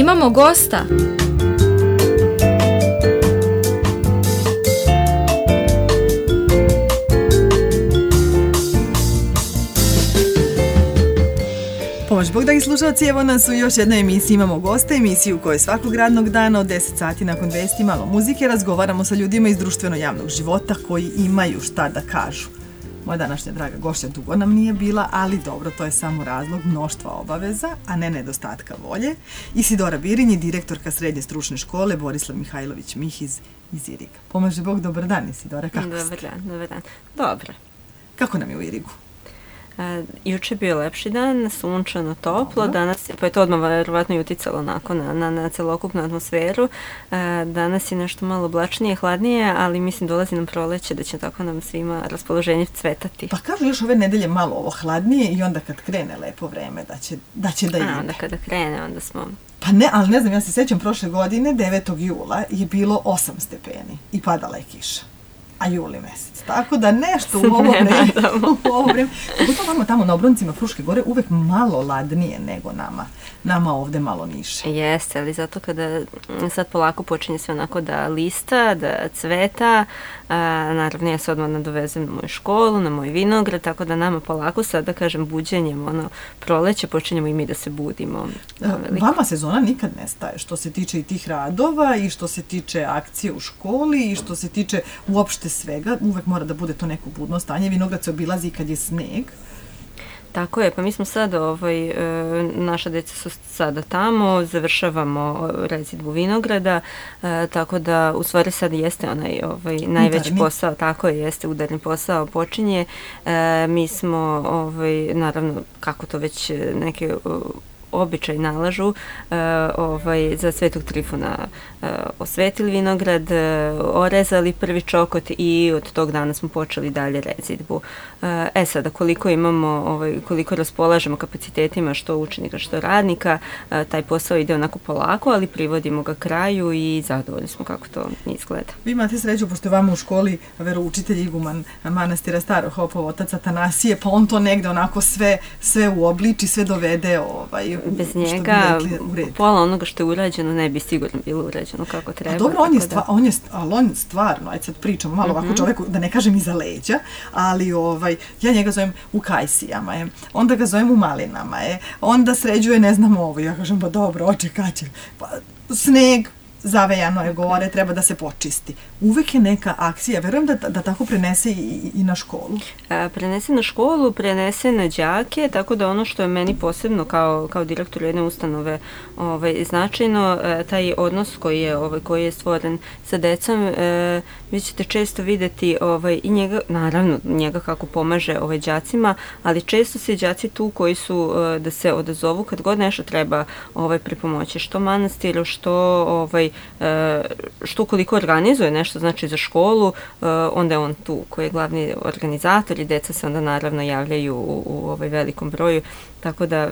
Imamo gosta. Pomoć Bog, dragi slušalci, evo nas u još jednoj emisiji Imamo goste, emisiju u kojoj svakog radnog dana od 10 sati nakon vesti malo muzike razgovaramo sa ljudima iz društveno-javnog života koji imaju šta da kažu. Moja današnja draga gošća dugo nam nije bila, ali dobro, to je samo razlog mnoštva obaveza, a ne nedostatka volje. Isidora Birinji, direktorka Srednje stručne škole Borislav Mihajlović Mihiz iz Iriga. Pomože Bog, dobar dan Isidora, kako ste? Dobar dan. Dobro. Kako nam je u Irigu? Juče je bio lepši dan, sunčano, toplo, danas, pa je to odmah verovatno i uticalo na celokupnu atmosferu. Danas je nešto malo oblačnije, hladnije, ali mislim dolazi nam proleće da će tako nam svima raspoloženje cvetati. Pa kažu još ove nedelje malo ovo hladnije i onda kad krene lepo vreme da će da ide. Onda kada krene, onda smo... Pa ne, ali ne znam, ja se sjećam prošle godine, 9. jula je bilo 8 stepeni i padala je kiša. A juli mesec. Tako da nešto u ovo vreme, pogotovo vamo tamo na obroncima Fruške gore, uvek malo ladnije nego nama ovde malo niže. Jeste, ali zato kada sad polako počinje sve onako da lista, da cveta, naravno ja se odmah nadovezem na moju školu, na moj vinograd, tako da nama polako sad, da kažem, buđenjem, proleće, počinjemo i mi da se budimo. Vama sezona nikad ne staje, što se tiče i tih radova i što se tiče akcije u školi i što se tiče uopšte svega, uvek mora da bude to neko budno stanje. Vinograd se obilazi kad je sneg. Tako je, pa mi smo sad, naša deca su sada tamo, završavamo rezidbu vinograda, tako da u stvari sad jeste onaj najveći posao, tako je, jeste udarni posao počinje. Mi smo, naravno, kako to već neke običaj nalažu, za Svetog Trifuna osvetili vinograd, orezali prvi čokot i od tog dana smo počeli dalje rezidbu. Sada, koliko imamo, koliko raspolažemo kapacitetima što učenika, što radnika, taj posao ide onako polako, ali privodimo ga kraju i zadovoljni smo kako to izgleda. Vi imate sreću, pošto je vama u školi veroučitelj iguman manastira Starog Hopova, otac Atanasije, pa on to negde onako sve uobliči, sve dovede bez njega, pola onoga što je urađeno ne bi sigurno bilo urađeno kako treba. A dobro, on stvarno, ajde sad pričamo malo ovako čoveku, da ne kažem iza leđa, ali ja njega zovem u kajsijama, onda ga zovem u malinama, onda sređuje ne znam ovo, ja kažem pa dobro, oče kaće, pa sneg, zavejano je gore, treba da se počisti. Uvek je neka akcija, verujem da tako prenese i na školu. Prenese na školu, prenese na đake, tako da ono što je meni posebno kao direktor jedne ustanove značajno, taj odnos koji je stvoren sa decom, vi ćete često videti i njega, naravno njega kako pomaže đacima, ali često se đaci tu koji su da se odazovu kad god nešto treba pripomoći, što manastiru, što koliko organizuje nešto, znači za školu, onda je on tu koji je glavni organizator i deca se onda naravno javljaju u velikom broju, tako da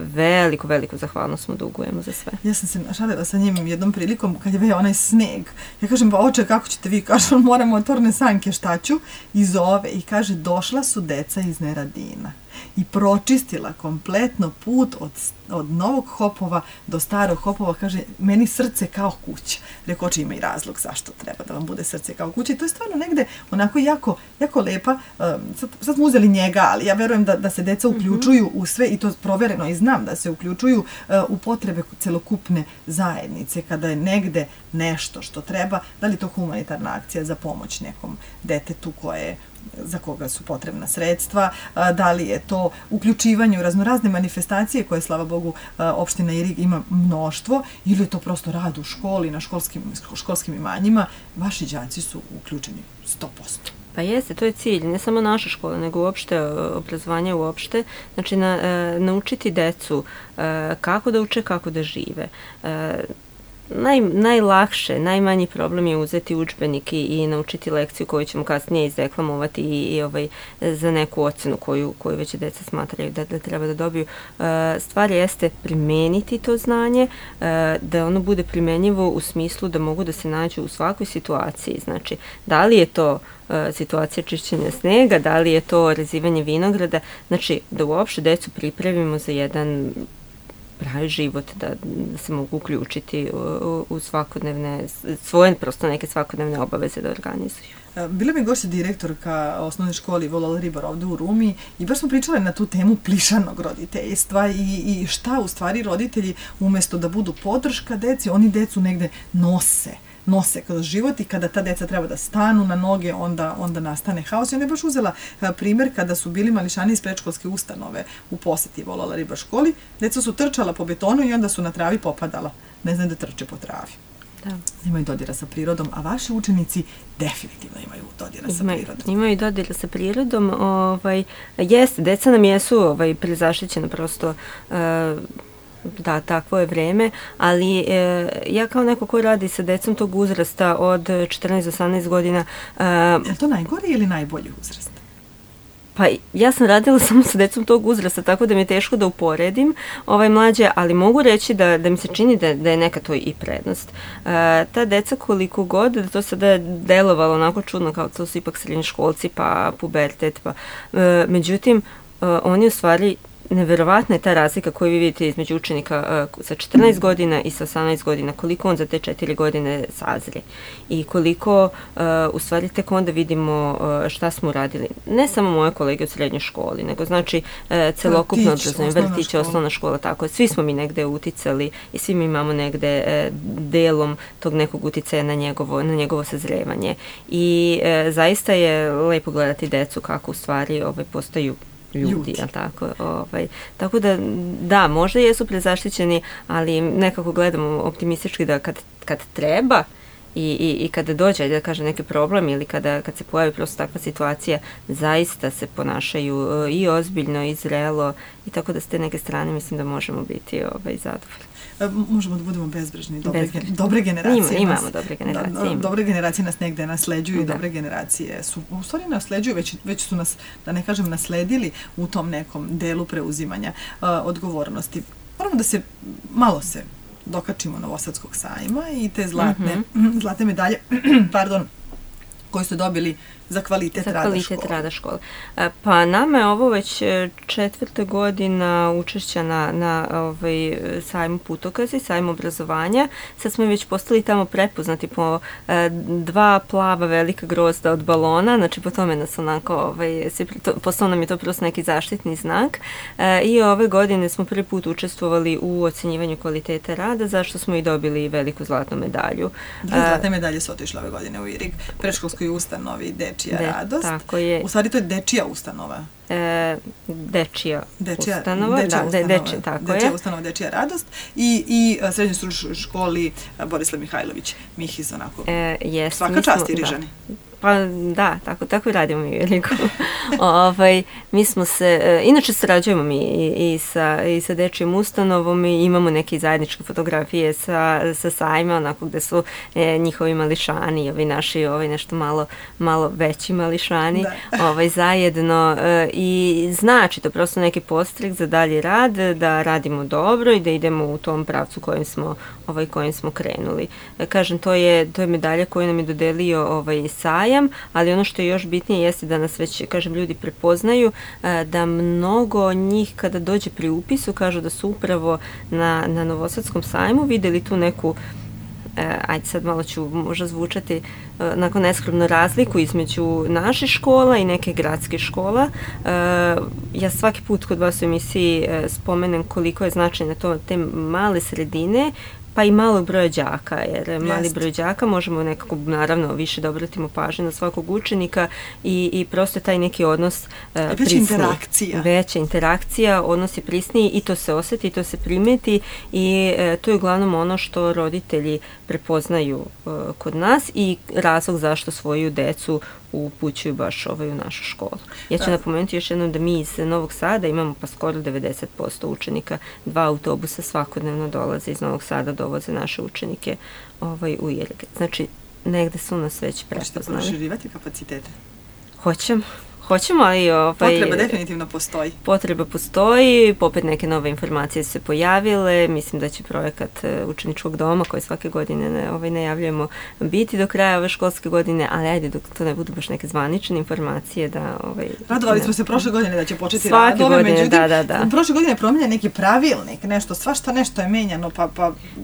veliku zahvalnost mu dugujemo za sve. Ja sam se šalila sa njim jednom prilikom kad je veo onaj sneg. Ja kažem, pa oče, kako ćete vi? Kaže, moram motorne sanke, šta ću? I zove i kaže, došla su deca iz Neradina i pročistila kompletno put od Novog Hopova do Starog Hopova, kaže, meni srce kao kuća. Rekao, oče, ima i razlog zašto treba da vam bude srce kao kuća. I to je stvarno negde onako jako lepa. Sad smo uzeli njega, ali ja verujem da se deca uključuju u sve i to provereno i znam da se uključuju u potrebe celokupne zajednice kada je negde nešto što treba, da li to humanitarna akcija za pomoć nekom detetu za koga su potrebna sredstva, da li je to uključivanje u raznorazne manifestacije koje, slava Bogu, opština Irig ima mnoštvo, ili je to prosto rad u školi, na školskim imanjima. Vaši đaci su uključeni 100%. Pa jeste, to je cilj, ne samo naša škola, nego uopšte obrazovanje uopšte. Znači, naučiti decu kako da uče, kako da žive. Najlakše, najmanji problem je uzeti udžbenik i naučiti lekciju koju ćemo kasnije izdeklamovati i za neku ocenu koju već deca smatraju da treba da dobiju. Stvar jeste primeniti to znanje, da ono bude primenjivo u smislu da mogu da se nađu u svakoj situaciji. Znači, da li je to situacija čišćenja snega, da li je to rezivanje vinograda, znači da uopšte decu pripremimo za jedan pravi život, da se mogu uključiti u svakodnevne, svoje prosto neke svakodnevne obaveze da organizuju. Bila mi gošća direktorka osnovne škole Volala Ribar ovde u Rumi i baš smo pričali na tu temu plišanog roditeljstva i šta u stvari roditelji umesto da budu podrška deci, oni decu negde nose kroz život i kada ta deca treba da stanu na noge, onda nastane haos. I ona je baš uzela primjer kada su bili mališani iz predškolske ustanove u poseti Volala Ribar školi. Deca su trčala po betonu i onda su na travi popadala. Ne znam da trče po travi. Da. Imaju dodira sa prirodom, a vaši učenici definitivno imaju dodira sa prirodom. Imaju dodira sa prirodom. Jeste, deca nam jesu prezaštićena prosto. Da, takvo je vreme, ali ja kao neko ko radi sa decom tog uzrasta od 14 do 18 godina... Je to najgori ili najbolji uzrast? Pa ja sam radila samo sa decom tog uzrasta, tako da mi je teško da uporedim mlađe, ali mogu reći da mi se čini da je neka to i prednost. Ta deca koliko god, da to sada je delovalo onako čudno, kao to su ipak srednjoškolci, pa pubertet, međutim, oni u stvari... Neverovatna je ta razlika koju vi vidite između učenika sa 14 godina i sa 18 godina, koliko on za te 4 godine sazre i koliko u stvari tek onda vidimo šta smo radili. Ne samo moje kolege u srednjoj školi, nego znači celokupno obrazovanje, vrtić, osnovna škola, tako. Svi smo mi negde uticali i svi mi imamo negde delom tog nekog uticaja na njegovo sazrevanje. I zaista je lepo gledati decu kako u stvari postaju ljudi, jel tako? Tako da, možda jesu prezaštićeni, ali nekako gledamo optimistički da kad treba i kada dođe, da kažem, neki problem ili kad se pojavi prosto takva situacija, zaista se ponašaju i ozbiljno i zrelo i tako da s te neke strane mislim da možemo biti zadovoljni. Možemo da budemo bezbrižni. Dobre generacije. Imamo dobre generacije. Dobre generacije nas negde nasleđuju i dobre generacije su, u stvari nasleđuju, već su nas, da ne kažem, nasledili u tom nekom delu preuzimanja odgovornosti. Moramo da se malo dokačimo Novosadskog sajma i te zlatne medalje, koje su dobili za kvalitet rada škole. Pa nama je ovo već 4. godina učešća na sajmu Putokazi, sajmu obrazovanja. Sad smo već postali tamo prepoznati po 2 plava velika grozda od balona, znači po tome nas onako, postao nam je to prosto neki zaštitni znak. I ove godine smo prvi put učestvovali u ocenjivanju kvaliteta rada, zašto smo i dobili veliku zlatnu medalju. 2 zlatne medalje su otišle ove godine u Irig, predškolskoj ustanovi Dečija radost. Tako je. U stvari to je dečija ustanova. Dečija ustanova, tako je. Dečija ustanova, Dečija radost i srednjoj stručnoj školi Borislav Mihajlović Mihiz, onako. Svaka čast Irižani. Pa da, tako i radimo mi veliko. Mi smo se, inače sarađujemo mi i sa Dečijom ustanovom i imamo neke zajedničke fotografije sa sajma, onako gde su njihovi mališani, ovi naši, nešto malo veći mališani, zajedno i znači to prosto neki podstrek za dalji rad, da radimo dobro i da idemo u tom pravcu kojim smo krenuli. Kažem, to je medalja koju nam je dodelio sajam, ali ono što je još bitnije jeste da nas već, kažem, ljudi prepoznaju, da mnogo njih kada dođe pri upisu kažu da su upravo na Novosadskom sajmu videli tu neku, ajde sad malo ću možda zvučati nakon neskromno, razliku između naše škola i neke gradske škola. Ja svaki put kod vas u emisiji spomenem koliko je značajna te male sredine, pa i malog broja đaka, jer mali broj đaka možemo nekako, naravno, više da obratimo pažnju na svakog učenika i prosto taj neki odnos prisniji. Veća interakcija, odnos je prisniji i to se osjeti, to se primeti i to je uglavnom ono što roditelji prepoznaju kod nas i razlog zašto svoju decu upućuju baš u našu školu. Ja ću napomenuti još jednom da mi iz Novog Sada imamo pa skoro 90% učenika, 2 autobusa svakodnevno dolaze iz Novog Sada, dovoze naše učenike u Irig. Znači, negde su nas već prepoznali. Hoćete proširivati kapacitete? Hoćemo, ali potreba definitivno postoji. Potreba postoji, popet neke nove informacije su se pojavile, mislim da će projekat učeničkog doma koji svake godine najavljujemo biti do kraja ove školske godine, ali ajde dok to ne budu baš neke zvanične informacije da... Radovali smo se prošle godine da će početi svake radove, godine, međutim, da. Prošle godine je promijenjen neki pravilnik, svašta nešto je menjano,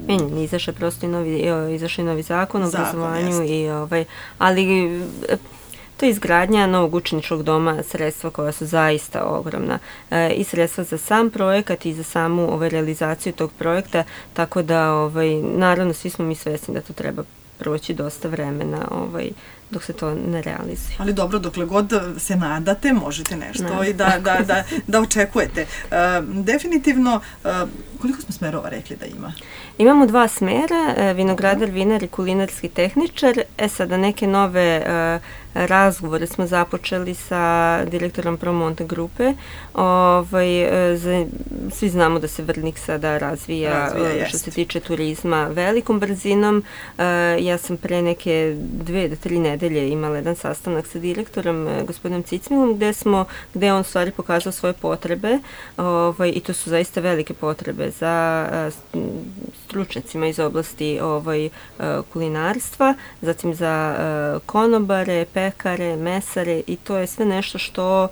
Menjen, izašao prosto i novi zakon o obrazovanju, ali... To je izgradnja novog učeničkog doma, sredstva koja su zaista ogromna. I sredstva za sam projekat i za samu realizaciju tog projekta, tako da naravno svi smo mi svesni da to treba proći dosta vremena dok se to ne realizuje. Ali dobro, dokle god se nadate, možete nešto i da očekujete. Definitivno, koliko smo smerova rekli da ima? Imamo 2 smera, vinogradar, vinar i kulinarski tehničar. Sada neke nove razgovore smo započeli sa direktorom Promonte grupe. Svi znamo da se Vrnik sada razvija što se tiče turizma velikom brzinom. Ja sam pre neke 2 do 3 nedelje imala jedan sastanak sa direktorom, gospodinom Cicmilom, gde je on stvari pokazao svoje potrebe i to su zaista velike potrebe za stručnjacima iz oblasti kulinarstva, zatim za konobare, pekare, mesare i to je sve nešto što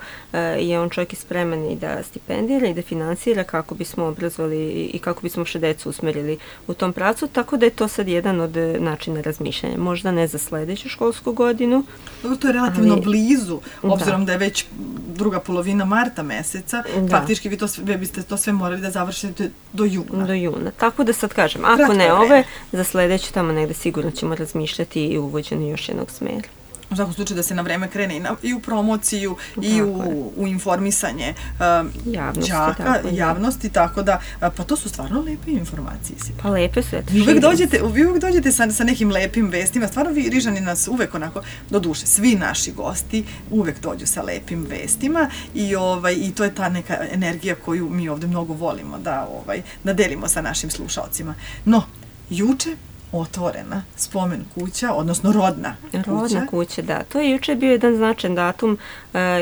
je on čovjek spreman i da stipendira i da finansira kako bismo obrazovali i kako bismo naše decu usmerili u tom pravcu, tako da je to sad jedan od načina razmišljanja. Možda ne za sledeću školsku godinu. Dobro, to je relativno blizu, obzirom da je već druga polovina marta meseca, faktički vi biste to sve morali da završite do juna. Do juna, tako da sad kažem, ako ne ove, za sledeću tamo negde sigurno ćemo razmišljati i uvođenju još jednog smera. U svakom slučaju da se na vreme krene i u promociju i u informisanje đaka, javnosti, tako da, pa to su stvarno lepe informacije. Pa lepe su, Vi uvek dođete sa nekim lepim vestima, stvarno vi Rižani nas uvek onako, do duše, svi naši gosti uvek dođu sa lepim vestima i to je ta neka energija koju mi ovde mnogo volimo da delimo sa našim slušalcima. No, juče otvorena spomen kuća, odnosno rodna kuća. Rodna kuća, da. To je juče bio jedan značajan datum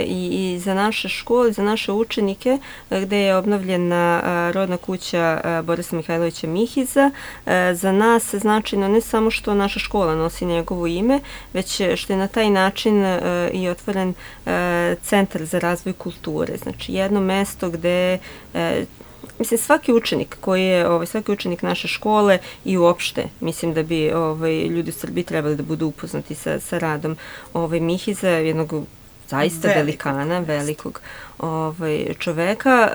i za naše škole, za naše učenike, gde je obnovljena rodna kuća Borisa Mihajlovića Mihiza. Za nas značajno ne samo što naša škola nosi njegovo ime, već što je na taj način i otvoren centar za razvoj kulture. Znači, jedno mesto gde mislim, svaki učenik naše škole i uopšte, mislim da bi ljudi u Srbiji trebali da budu upoznati sa radom Mihiza, jednog zaista velikana, velikog čoveka,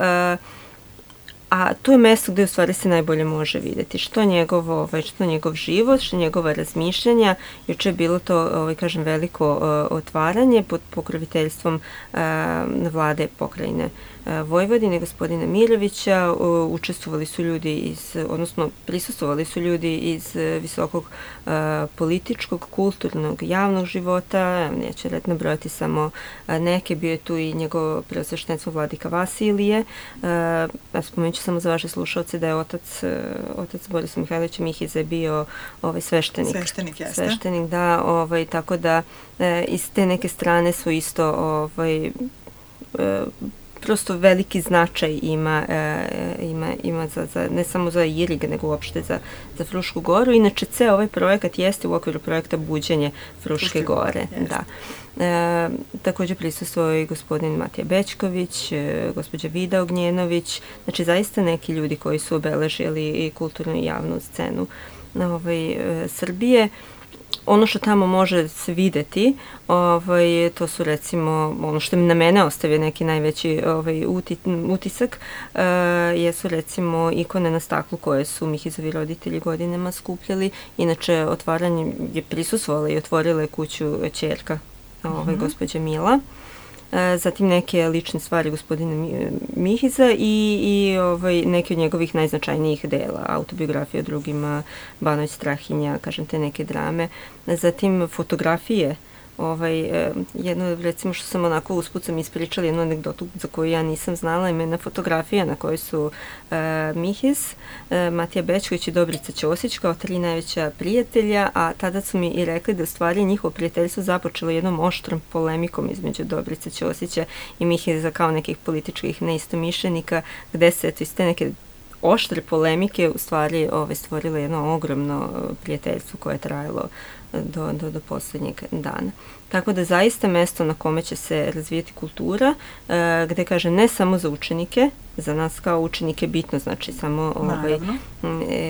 a to je mesto gde u stvari se najbolje može videti što njegov život, što njegova razmišljanja. Juče je bilo to, kažem, veliko otvaranje pod pokroviteljstvom vlade pokrajine Vojvodine, gospodina Mirovića. Učestvovali su ljudi prisustvovali su ljudi iz visokog političkog, kulturnog, javnog života. Neću nabrojati samo neke, bio je tu i njegovo preosveštenstvo vladika Vasilije. Spomenut ću samo za vaše slušalce da je otac Borisa Mihajlovića Mihiza bio sveštenik. Sveštenik, jeste. Sveštenik, da, tako da iz te neke strane su isto prosto veliki značaj ima ne samo za Irig, nego uopšte za Frušku goru. Inače, ceo ovaj projekat jeste u okviru projekta Buđenje Fruške gore. Da. Također prisustvovao i gospodin Matija Bećković, gospođa Vida Ognjenović, znači zaista neki ljudi koji su obeležili i kulturnu i javnu scenu Srbije. Ono što tamo može se videti, to su recimo, ono što na mene ostavio neki najveći utisak, jesu recimo ikone na staklu koje su Mihizovi roditelji godinama skupljali. Inače, otvaranje je prisustvovala i otvorila je kuću ćerka gospođa Mila. Zatim neke lične stvari gospodina Mihiza i neke od njegovih najznačajnijih dela, autobiografije o drugima, Banović Strahinja, kažem, te neke drame. Zatim fotografije jednu, recimo što sam onako usput sam ispričala jednu anegdotu za koju ja nisam znala, ima jedna fotografija na kojoj su Mihis, Matija Bečković i Dobrica Ćosić kao 3 najveća prijatelja, a tada su mi i rekli da u stvari njihovo prijateljstvo započelo jednom oštrom polemikom između Dobrice Ćosića i Mihisa kao nekih političkih neistomišljenika, gde se iz te neke oštre polemike u stvari stvorilo jedno ogromno prijateljstvo koje je trajalo do posljednjeg dana. Tako da zaista mesto na kome će se razvijeti kultura, gde kaže ne samo za učenike, za nas kao učenike bitno, znači samo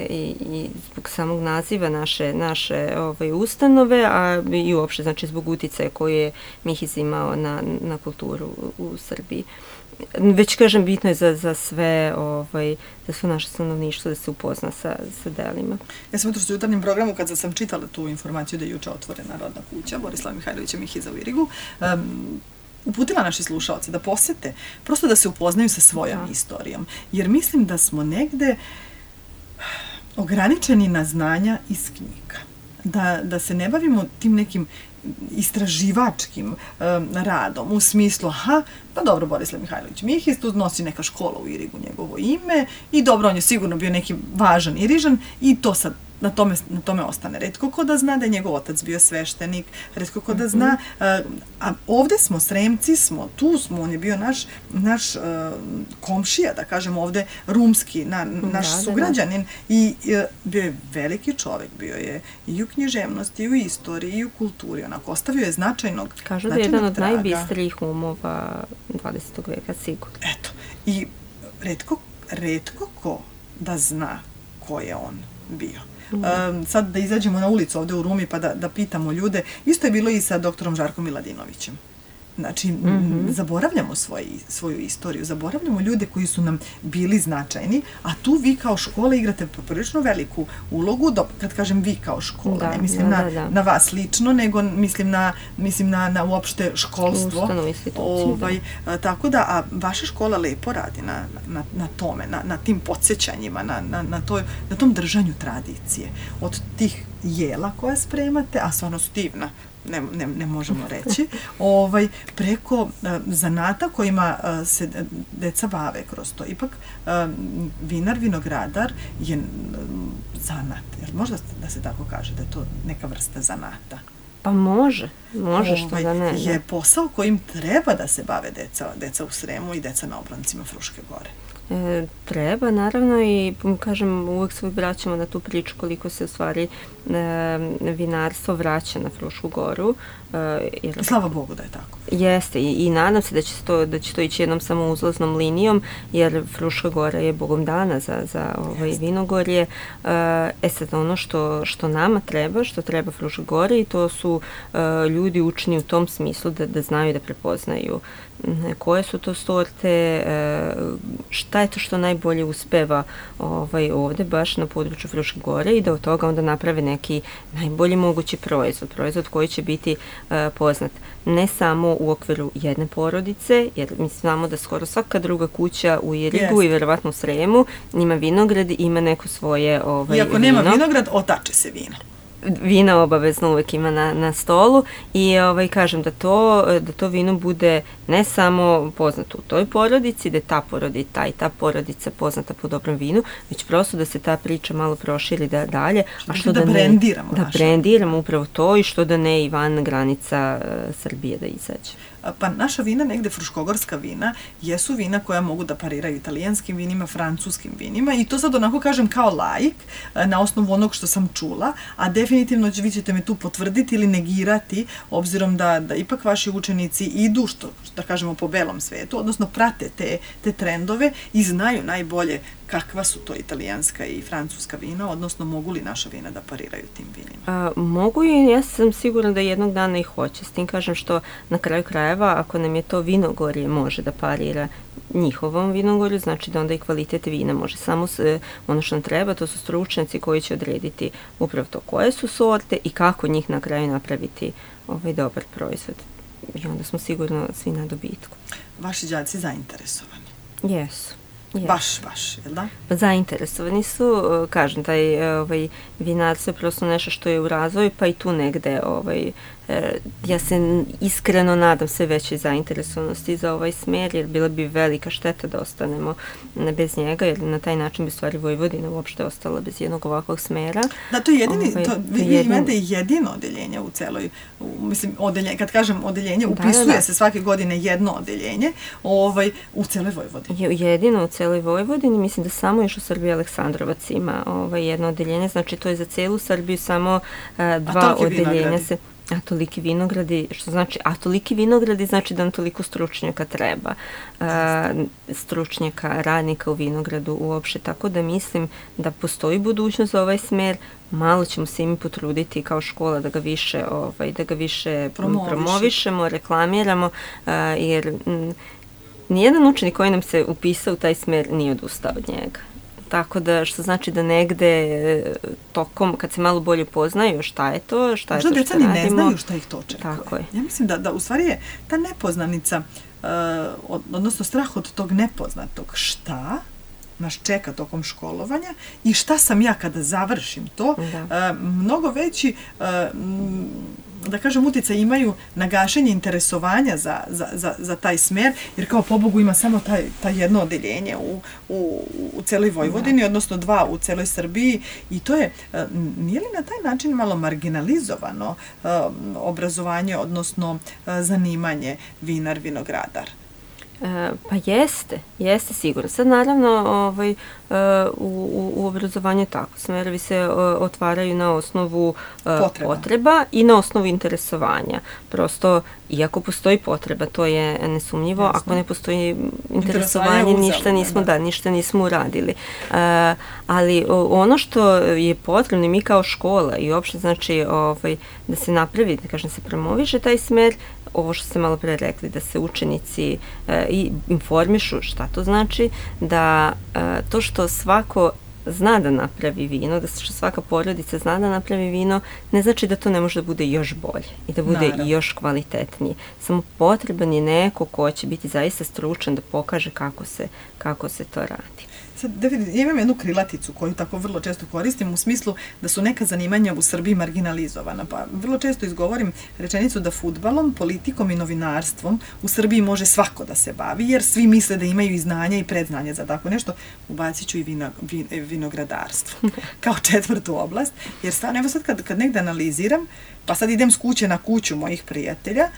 i zbog samog naziva naše ustanove, a i uopšte znači zbog uticaja koje je Mihis imao na kulturu u Srbiji. Već kažem, bitno je za sve naše stanovništvo da se upozna sa delima. Ja sam jutros u jutarnjem programu, kad sam čitala tu informaciju da je juče otvorena rodna kuća Borislava Mihajlovića Mihiza u Irigu, uputila naši slušaoci da posete, prosto da se upoznaju sa svojom istorijom. Jer mislim da smo negde ograničeni na znanja iz knjiga. Da se ne bavimo tim nekim istraživačkim radom, u smislu, pa dobro, Borislav Mihajlović Mihis, tu nosi neka škola u Irigu njegovo ime i dobro, on je sigurno bio neki važan Irižan i to sad na tome ostane. Retko ko da zna da je njegov otac bio sveštenik, retko ko da zna, a ovde smo, Sremci smo, tu smo, on je bio naš komšija, da kažem ovde, rumski, naš sugrađanin i bio je veliki čovek, bio je i u književnosti, i u istoriji, i u kulturi, onako, ostavio je značajnog traga. Kažu da je jedan od najbistrijih umova 20. veka, sigurno. Eto, i retko ko da zna ko je on bio. Sad da izađemo na ulicu ovde u Rumi pa da pitamo ljude, isto je bilo i sa doktorom Žarkom Miladinovićem. Znači, zaboravljamo svoju istoriju, zaboravljamo ljude koji su nam bili značajni, a tu vi kao škola igrate poprilično veliku ulogu, kad kažem vi kao škola, ne mislim na vas lično, nego mislim na uopšte školstvo. Ustanovu instituciju. Tako da, a vaša škola lepo radi na tome, na tim podsjećanjima, na tom držanju tradicije. Od tih jela koja spremate, a stvarno su divna, ne možemo reći, preko zanata kojima se deca bave kroz to. Ipak vinar, vinogradar je zanat. Jer možda da se tako kaže da je to neka vrsta zanata? Pa može što da ne. Je posao kojim treba da se bave deca u Sremu i deca na obroncima Fruške gore. Treba, naravno, i kažem, uvek se vraćamo na tu priču koliko se u stvari vinarstvo vraća na Frušku goru. Slava Bogu da je tako. Jeste, i nadam se da će to ići jednom samo uzlaznom linijom, jer Fruška gora je Bogom dana za vinogorje. Sad ono što nama treba, što treba Fruškoj gori, i to su ljudi učeni u tom smislu da znaju da prepoznaju koje su to sorte, šta je to što najbolje uspeva ovde baš na području Fruške gore i da od toga onda naprave neki najbolji mogući proizvod koji će biti poznat ne samo u okviru jedne porodice, jer mi znamo da skoro svaka druga kuća u Irigu i verovatno u Sremu ima vinograd i ima neko svoje vino. Iako nema vinograd, otače se vino. Vina obavezno uvek ima na stolu i kažem da to vino bude ne samo poznato u toj porodici, da je ta porodica i ta porodica poznata po dobrom vinu, već prosto da se ta priča malo proširi dalje. A što da brendiramo. Da brendiramo upravo to i što da ne i van granica Srbije da izađe. Pa naša vina, negde fruškogorska vina, jesu vina koja mogu da pariraju italijanskim vinima, francuskim vinima i to sad onako kažem kao laik, na osnovu onog što sam čula, a definitivno vi ćete me tu potvrditi ili negirati, obzirom da ipak vaši učenici idu, da kažemo, po belom svetu, odnosno prate te trendove i znaju najbolje kakva su to italijanska i francuska vina, odnosno mogu li naša vina da pariraju tim vinima? Mogu i ja sam sigurna da jednog dana i hoće. S tim kažem što na kraju krajeva, ako nam je to vinogorje može da parira njihovom vinogorju, znači da onda i kvalitet vina može. Samo ono što nam treba, to su stručnjaci koji će odrediti upravo to koje su sorte i kako njih na kraju napraviti dobar proizvod. I onda smo sigurno svi na dobitku. Vaši đaci zainteresovani? Jesu. Baš, jel da? Zainteresovani su, kažem, taj vinarstvo je prosto nešto što je u razvoju, pa i tu negde ja se iskreno nadam sve veće zainteresovanosti za ovaj smer, jer bila bi velika šteta da ostanemo bez njega, jer na taj način bi stvari Vojvodina uopšte ostala bez jednog ovakvog smera. Da, to je jedini, vi imate jedino odeljenje u celoj, mislim, kad kažem odeljenje, upisuje se svake godine jedno odeljenje u celoj Vojvodini. Jedino u celoj Vojvodini, mislim da samo još u Srbiji Aleksandrovac ima jedno odeljenje, znači to je za celu Srbiju samo dva odeljenja se... A toliki vinogradi znači da nam toliko stručnjaka treba, stručnjaka, radnika u vinogradu uopšte, tako da mislim da postoji budućnost za ovaj smer, malo ćemo se mi potruditi kao škola da ga više promovišemo, reklamiramo, jer nijedan učenik koji nam se upisao u taj smer nije odustao od njega. Tako da, što znači da negde tokom, kad se malo bolje poznaju šta je to što radimo. Možda deca ni ne znaju šta ih to čeka. Tako je. Ja mislim da u stvari je ta nepoznanica, odnosno strah od tog nepoznatog šta nas čeka tokom školovanja i šta sam ja kada završim to, mnogo veći, da kažem, utjecaj imaju na gašenje interesovanja za taj smer, jer kao pobogu ima samo taj jedno odeljenje u celoj Vojvodini, odnosno dva u celoj Srbiji, i to je, nije li na taj način malo marginalizovano obrazovanje, odnosno zanimanje vinar, vinogradar? Pa jeste sigurno. Sad naravno u obrazovanju tako, smerovi se otvaraju na osnovu potreba i na osnovu interesovanja. Prosto, iako postoji potreba, to je nesumnjivo, ako ne postoji interesovanje, ništa nismo uradili. Ali ono što je potrebno, mi kao škola i uopšte znači da se napravi, da kažem, se promoviše taj smer, ovo što ste malo pre rekli, da se učenici i informišu šta to znači, da to što svako zna da napravi vino, da što svaka porodica zna da napravi vino, ne znači da to ne može da bude još bolje i da bude još kvalitetnije. Samo potreban je neko ko će biti zaista stručan da pokaže kako se to radi. Sad, ja imam jednu krilaticu koju tako vrlo često koristim u smislu da su neka zanimanja u Srbiji marginalizovana. Pa vrlo često izgovorim rečenicu da fudbalom, politikom i novinarstvom u Srbiji može svako da se bavi, jer svi misle da imaju i znanja i predznanje za tako nešto. Ubacit ću i vinogradarstvo kao četvrtu oblast, jer stvarno, evo sad kad negde analiziram, pa sad idem s kuće na kuću mojih prijatelja,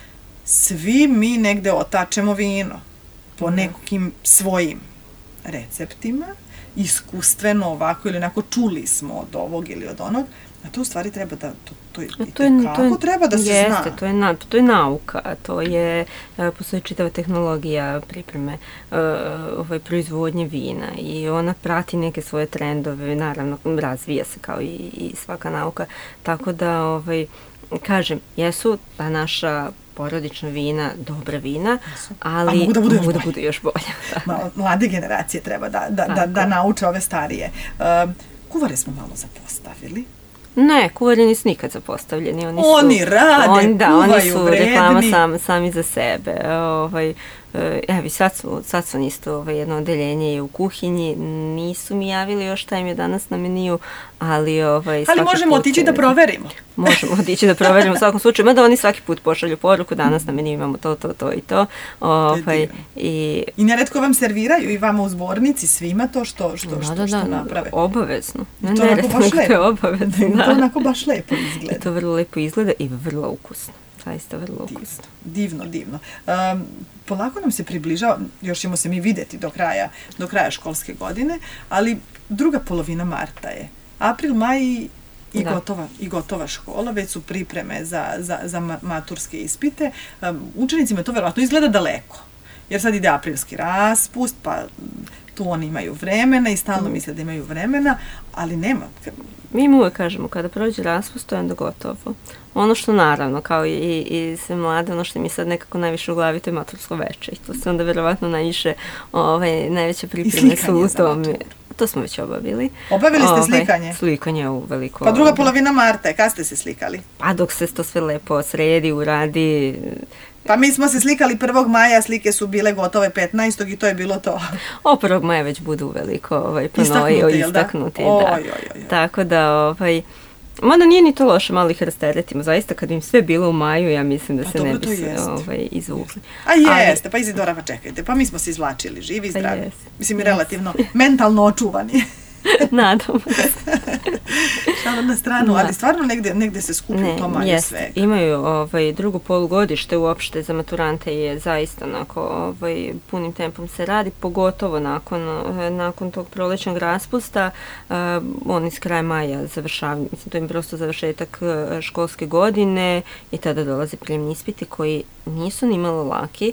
svi mi negde otačemo vino po nekim svojim receptima, iskustveno ovako ili onako, čuli smo od ovog ili od onog, a to u stvari treba da, kako treba da se zna. To je nauka, to je, postoji čitava tehnologija pripreme proizvodnje vina i ona prati neke svoje trendove, naravno razvija se kao i svaka nauka, tako da, kažem, jesu ta naša porodična vina, dobra vina, ali mogu da budu još bolje. Mlade generacije treba da nauče ove starije. Kuvare smo malo zapostavili. Ne, kuvari nisu nikad zapostavljeni. Oni rade, kuvaju, oni su reklama sami za sebe. Evo, sad su isto jedno odeljenje u kuhinji, nisu mi javili još šta im je danas na meniju, ali možemo otići da proverimo. Možemo otići da proverimo u svakom slučaju, mada oni svaki put pošalju poruku, danas na meniju imamo to i to. I neretko vam serviraju i vama u zbornici svima to što naprave. Obavezno. To onako baš lepo izgleda. I to vrlo lepo izgleda i vrlo ukusno. Zaista vrlo ukusno. Divno. Polako nam se približava, još ćemo se mi videti do kraja školske godine, ali druga polovina marta je. April, maj i gotova škola, već su pripreme za maturske ispite. Učenicima to verovatno izgleda daleko, jer sad ide aprilski raspust, pa tu oni imaju vremena i stalno misle da imaju vremena, ali nema. Mi im uvek kažemo, kada prođe raspust, to je onda gotovo. Ono što naravno, kao i sve mlade, ono što mi sad nekako najviše u glavi, to je matursko veče. I to se onda verovatno najveće pripreme su u tome. To smo već obavili. Obavili ste slikanje? Slikanje u veliko. Pa druga polovina marta, kad ste se slikali? Pa dok se to sve lepo sredi, uradi. Pa mi smo se slikali 1. maja, slike su bile gotove 15. i to je bilo to. 1. maja već budu veliko istaknuti, da. Tako da, Mada nije ni to loše, malo ih rasteretimo. Zaista, kad im sve bilo u maju, ja mislim da se ne bi se izvukli. A jeste, pa Izidora, pa čekajte, pa mi smo se izvlačili, živi i zdravi. Mislim, relativno mentalno očuvani. Nadam se. Šalo na stranu, ali stvarno negde se skuplju to manje svega. Imaju drugo polugodište uopšte za maturante je zaista onako punim tempom se radi, pogotovo nakon tog prolećnog raspusta. Oni s kraja maja završavaju, mislim, to im prosto završetak školske godine i tada dolaze prijemni ispiti koji nisu ni malo laki,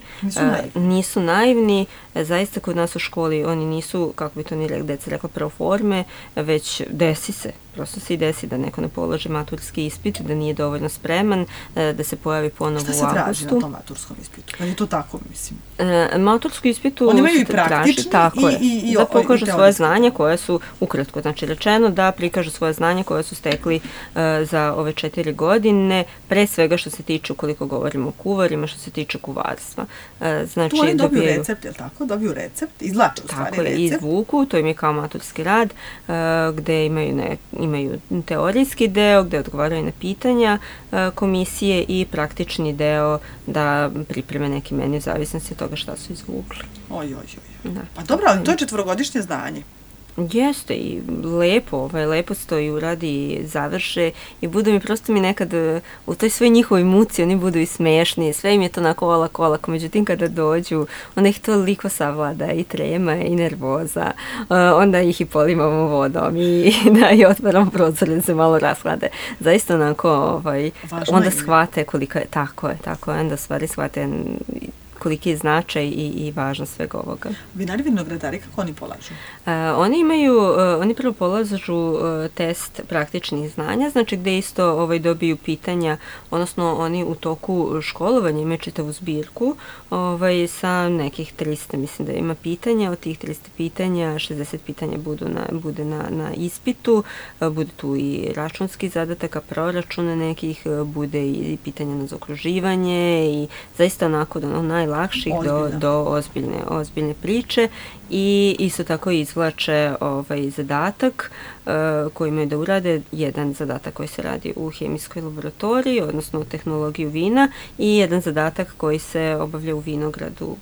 nisu naivni. Zaista kod nas u školi oni nisu, kako bi to ni deca rekla, pro forme, već desi se. Prosto se i desi da neko ne položi maturski ispit, da nije dovoljno spreman, da se pojavi ponovo u augustu. Šta se traži na tom maturskom ispitu? Kad je to tako, mislim? Matursku ispitu oni imaju i praktični i da pokažu svoje znanja koje su, ukratko znači rečeno, da prikažu svoje znanja koje su stekli za ove 4 godine, pre svega što se tiče, ukoliko govorimo o kuvarima, što se tiče kuvarstva. Znači, tu oni dobiju recept, je li tako? Dobiju recept, izvlače u stvari recept. Tako je, izvuku, to im je kao maturski rad, gde imaju teorijski deo gde odgovaraju na pitanja komisije i praktični deo da pripreme neki meni u zavisnosti od toga šta su izvukli. Pa dobro, ali to je 4-godišnje znanje. Jeste i lepo se to i uradi i završe i budu mi prosto mi nekad u toj svoj njihovoj muci oni budu i smešni, sve im je to onako olako, međutim kada dođu onda ih toliko savlada i trema i nervoza, onda ih i polimamo vodom i otvaramo prozor da se malo rashlade. Zaista onako onda shvate koliko je, tako je, onda stvari shvate koliki je značaj i važnost svega ovoga. Vinari, vinogradari, kako oni polažu? Oni prvo polažu test praktičnih znanja, znači gde isto dobiju pitanja, odnosno oni u toku školovanja imaju čitavu zbirku sa nekih 300, mislim da ima pitanja, od tih 300 pitanja 60 pitanja bude na ispitu, bude tu i računski zadataka, proračuna nekih, bude i pitanja na zaokruživanje i zaista onako najlakših do ozbiljne priče i isto tako izvlače zadatak koji imaju da urade, jedan zadatak koji se radi u hemijskoj laboratoriji, odnosno u tehnologiju vina i jedan zadatak koji se obavlja u vinogradu,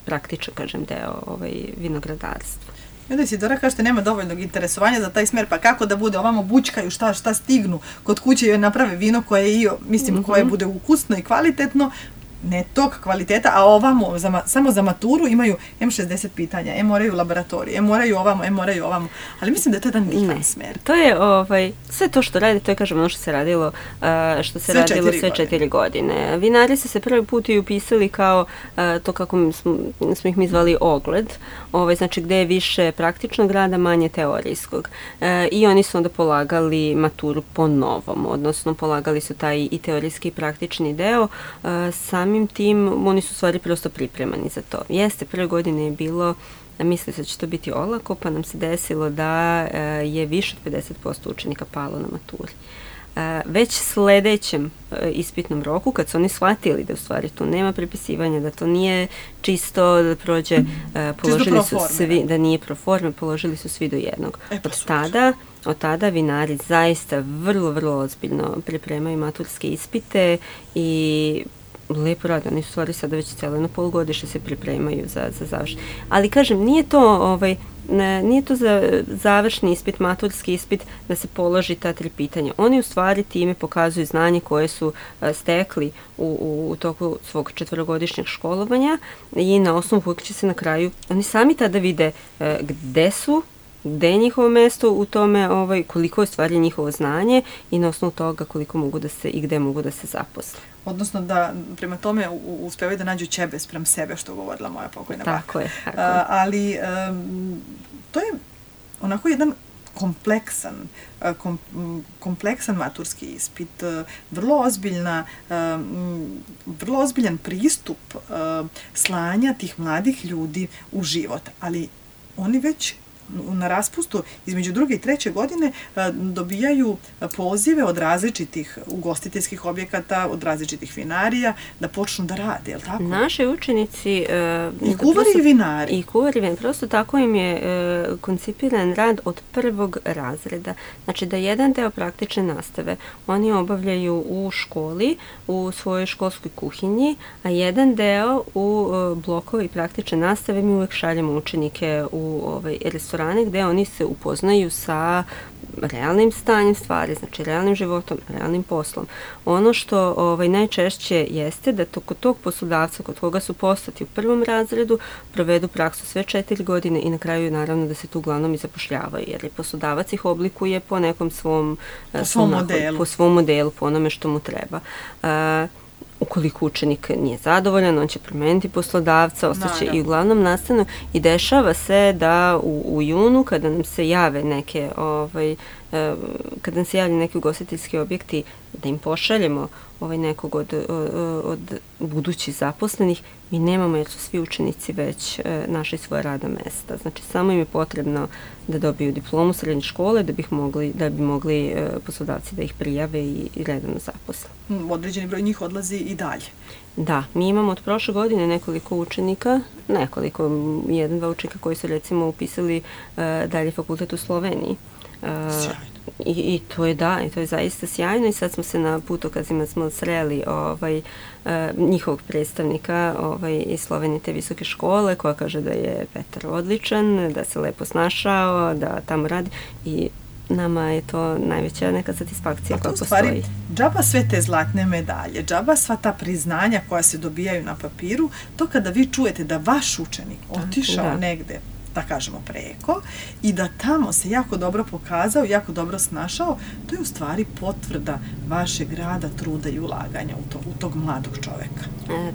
praktičan, kažem, deo vinogradarstva. I onda Isidora kažete nema dovoljnog interesovanja za taj smer, pa kako da bude ovamo bućkaju šta stignu kod kuće i naprave vino koje koje bude ukusno i kvalitetno, ne tog kvaliteta, a ovamo samo za maturu imaju M60 pitanja, moraju laboratorije, moraju ovamo, ali mislim da je to jedan divan smer. To je sve to što radi, to je kažem ono što se radilo sve 4 godine. Vinari su se prvi put i upisali kao to kako smo ih mi zvali ogled, znači gde je više praktičnog rada, manje teorijskog. I oni su onda polagali maturu po novom, odnosno polagali su taj i teorijski i praktični deo. Samim tim oni su stvari prosto pripremani za to. Jeste, prve godine je bilo, mislili se da će to biti olako, pa nam se desilo da je više od 50% učenika palo na maturi. Već sledećem ispitnom roku, kad su oni shvatili da u stvari tu nema prepisivanja, da to nije čisto da prođe, položili su svi, da nije pro forme, položili su svi do jednog. Od tada vinari zaista vrlo, vrlo ozbiljno pripremaju maturske ispite i lepo rade, oni su stvari sada već cijelo jedno polugodište se pripremaju za završenje. Ali kažem, nije to za završni ispit, maturski ispit, da se položi ta 3 pitanja. Oni u stvari time pokazuju znanje koje su stekli u toku svog 4-godišnjeg školovanja i na osnovu kojeg će se na kraju, oni sami tada vide gde su, gde je njihovo mesto u tome, koliko je stvari njihovo znanje i na osnovu toga koliko mogu da se i gde mogu da se zaposle. Odnosno da prema tome uspevaju da nađu ćebe sprem sebe, što govorila moja pokojna baka. Tako je. Ali to je onako jedan kompleksan maturski ispit, vrlo ozbiljan pristup slanja tih mladih ljudi u život, ali oni već na raspustu između 2. i 3. godine dobijaju pozive od različitih ugostiteljskih objekata, od različitih vinarija, da počnu da rade, je li tako? Naši učenici... I kuvari i vinari. I kuvari i vinari. Prosto tako im je koncipiran rad od 1. razreda. Znači da jedan deo praktične nastave oni obavljaju u školi, u svojoj školskoj kuhinji, a jedan deo u blokovi praktične nastave mi uvek šaljemo učenike u restorane gde oni se upoznaju sa realnim stanjem stvari, znači realnim životom, realnim poslom. Ono što najčešće jeste da kod tog poslodavca kod koga su poslati u 1. razredu provedu praksu sve 4 godine i na kraju naravno da se tu uglavnom i zapošljavaju, jer je poslodavac ih oblikuje po nekom svom modelu, po onome što mu treba. Ukoliko učenik nije zadovoljan, on će promeniti poslodavca, ostaće i uglavnom nastavno i dešava se da u junu kada nam se jave neke kada nam se javljaju neki ugostiteljski objekti, da im pošaljemo nekog od budućih zaposlenih, mi nemamo jer su svi učenici već našli svoje radna mesta. Znači samo im je potrebno da dobiju diplomu srednje škole da bi mogli poslodavci da ih prijave i redovno zaposle. Određeni broj njih odlazi i dalje. Da, mi imamo od prošle godine nekoliko učenika, 1-2 učenika koji su recimo upisali dalje fakultet u Sloveniji. Sjajno. I to je zaista sjajno i sad smo se na putokazima sreli njihovog predstavnika iz Slovenije te visoke škole koja kaže da je Petar odličan, da se lepo snašao, da tamo radi i nama je to najveća neka satisfakcija koja postoji. Stvari, džaba sve te zlatne medalje, džaba sva ta priznanja koja se dobijaju na papiru, to kada vi čujete da vaš učenik otišao negde, da kažemo preko, i da tamo se jako dobro pokazao, jako dobro snašao, to je u stvari potvrda vašeg rada, truda i ulaganja u tog mladog čoveka.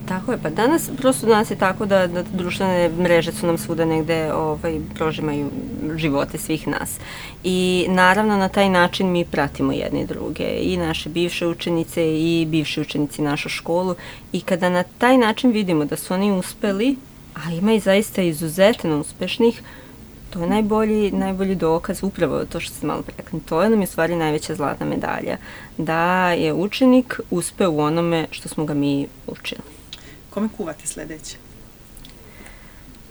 Tako je, pa danas je tako da društvene mreže su nam svuda negde prožimaju živote svih nas. I naravno na taj način mi pratimo jedni druge, i naše bivše učenice i bivši učenici našu školu, i kada na taj način vidimo da su oni uspeli, a ima i zaista izuzetno uspešnih, to je najbolji dokaz, upravo to što ste malo rekli. To je nam je u stvari najveća zlatna medalja, da je učenik uspeo u onome što smo ga mi učili. Kome kuvate sledeće?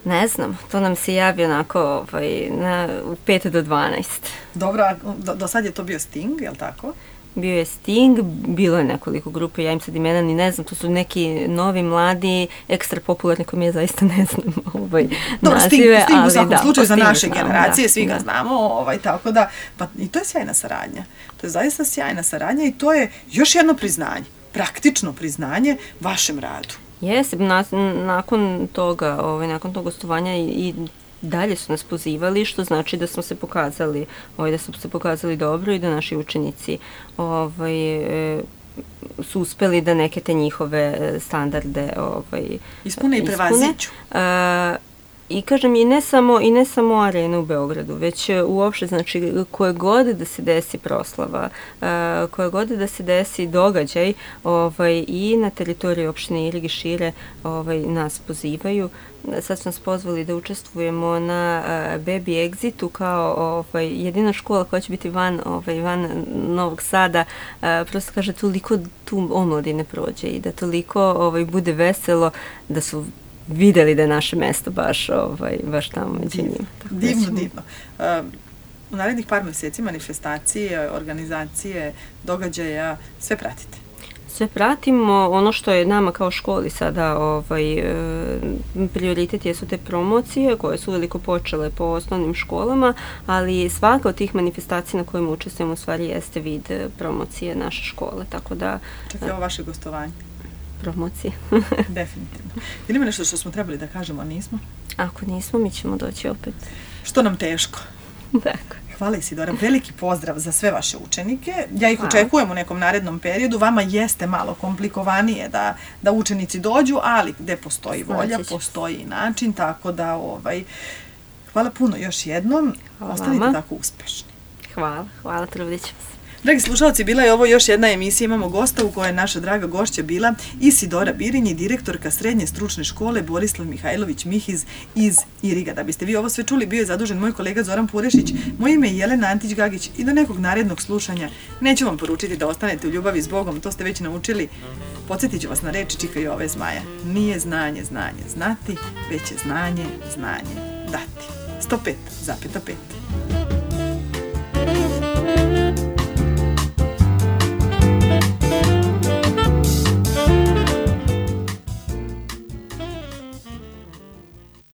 Ne znam, to nam se javi onako u 5 do 12. Dobro, do sad je to bio Sting, je li tako? Bio je Sting, bilo je nekoliko grupe, ja im sad imena ni ne znam, to su neki novi, mladi, ekstra popularni koji ja zaista ne znam nazive. Sting u svakom slučaju za naše generacije, svi ga znamo, tako da, pa i to je sjajna saradnja. To je zaista sjajna saradnja i to je još jedno priznanje, praktično priznanje vašem radu. Jeste, nakon toga, nakon tog gostovanja i dalje su nas pozivali, što znači da smo se pokazali dobro i da naši učenici su uspeli da neke te njihove standarde ispune i prevaziđu. I kažem, i ne samo arena u Beogradu, već uopšte, znači, koje god da se desi proslava, koje god da se desi događaj, i na teritoriji opštine Irig i šire nas pozivaju. Sad smo nas pozvali da učestvujemo na Baby Exitu kao jedina škola koja će biti van Novog Sada. Prosto kaže, toliko tu omladine prođe i da toliko bude veselo da su videli da je naše mesto baš tamo među njima. Divno. U narednih par meseci manifestacije, organizacije, događaja, sve pratite? Sve pratimo. Ono što je nama kao školi sada prioritet jesu te promocije koje su veliko počele po osnovnim školama, ali svaka od tih manifestacija na kojima učestvujemo u stvari jeste vid promocije naše škole, tako da... Čak je ovo vaše gostovanje? Promocije. Definitivno. Ili ima nešto što smo trebali da kažemo, a nismo? Ako nismo, mi ćemo doći opet. Što nam teško. Tako. Hvala Isidora, veliki pozdrav za sve vaše učenike. Ja ih očekujem u nekom narednom periodu. Vama jeste malo komplikovanije da učenici dođu, ali gde postoji volja, postoji način, tako da hvala puno još jednom. Ostanite tako uspešni. Hvala, trudit ćemo se. Dragi slušalci, bila je ovo još jedna emisija, imamo gosta u kojoj je naša draga gošća bila Isidora Birinji, direktorka Srednje stručne škole Borislav Mihajlović Mihiz iz Iriga. Da biste vi ovo sve čuli, bio je zadužen moj kolega Zoran Purešić, moje ime je Jelena Antić-Gagić i do nekog narednog slušanja neću vam poručiti da ostanete u ljubavi s Bogom, to ste već naučili. Podsjetit ću vas na reči Čika Jove Zmaja. Nije znanje znati, već je znanje dati. 105,5.